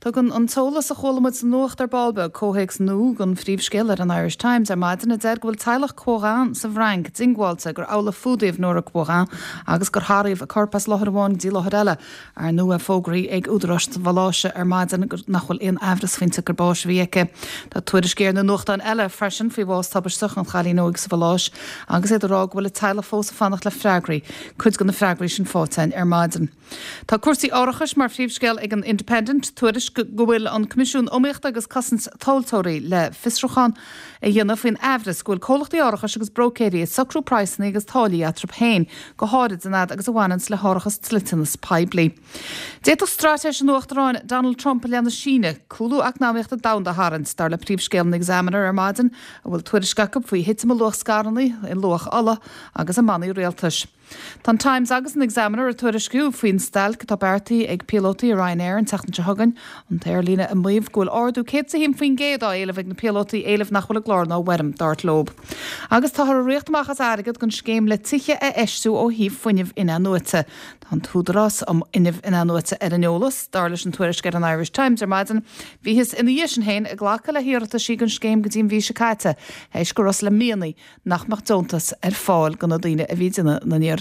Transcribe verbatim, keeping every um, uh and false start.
Tugann an t-eolas a chuala muid sa nuacht ar ball beag comhthéacs nua don phríomhscéal ar an Irish Times ar maidin a deir go bhfuil teaghlach Quoirin sa bhFrainc diongbháilte gur amhlaidh a fuadaíodh Nora Quoirin agus gur tarraingíodh a corp as láthair amháin go dtí láthair eile. Ar ndóigh fógraithe ag údaráis sa Mhaláise ar maidin nach bhfuil aon amhras faoin tsiocair báis a bhí aici. Tá tuairiscí ar na nuachtáin eile freisin faoi bhás tubaisteach an chailín óig sa Mhaláise agus iad ag rá go bhfuil a teaghlach fós ag fanacht le freagraí, cuid de na freagraí sin faighte ar maidin. Tá cúrsaí árachais mar phríomhscéal ag an Independent tuairisc go bhfuil an Coimisiún Iomaíochta agus Cosaint Tomhaltóirí le fiosrúchán a dhéanamh faoin amhras go bhfuil comhlachtaí árachais agus bróicéirí ag socrú praghsanna agus táillí eatarthu féin go háirid an fhad agus a bhaineann le hárachas dliteanas poiblí. D'fhéadfadh straitéis an Uachtaráin Donald Trump le na Síne cúlú eacnamaíochta domhanda a tharraingt dar le príomhscéal an Examiner ar maidin a bhfuil tuairisc acu faoi thitim i luach scaireanna i luach ola agus i mbannaí rialtais. Tá an Times agus an Examiner ag tuairisciú faoin stailc atá beartaithe ag píolótaí Ryanair an tseachtain seo chugainn an t-aerlíne ag maíomh go bhfuil ardú céad a haon faoin gcéad á éileamh ag na píolótaí éileamh nach bhfuil i gclár ná i bhfoirm dar leo. Agus táthar ag rith amach as airgead don scéim le tithe a fheistiú ó thaobh fuinnimh in-athnuaite. Tá an tÚdarás um Fhuinneamh In-athnuaite ar an eolas, dar leis an tuairisc ar an Irish Times ar maidin, bhíothas ina dhiaidh sin féin ag glacadh le hiarrataisí don scéim go dtí an mhí seo caite, théis go rabhthas le mianaigh nach mbeadh deontas ar fáil do na daoine a bhí ag déanamh na n-iarratas.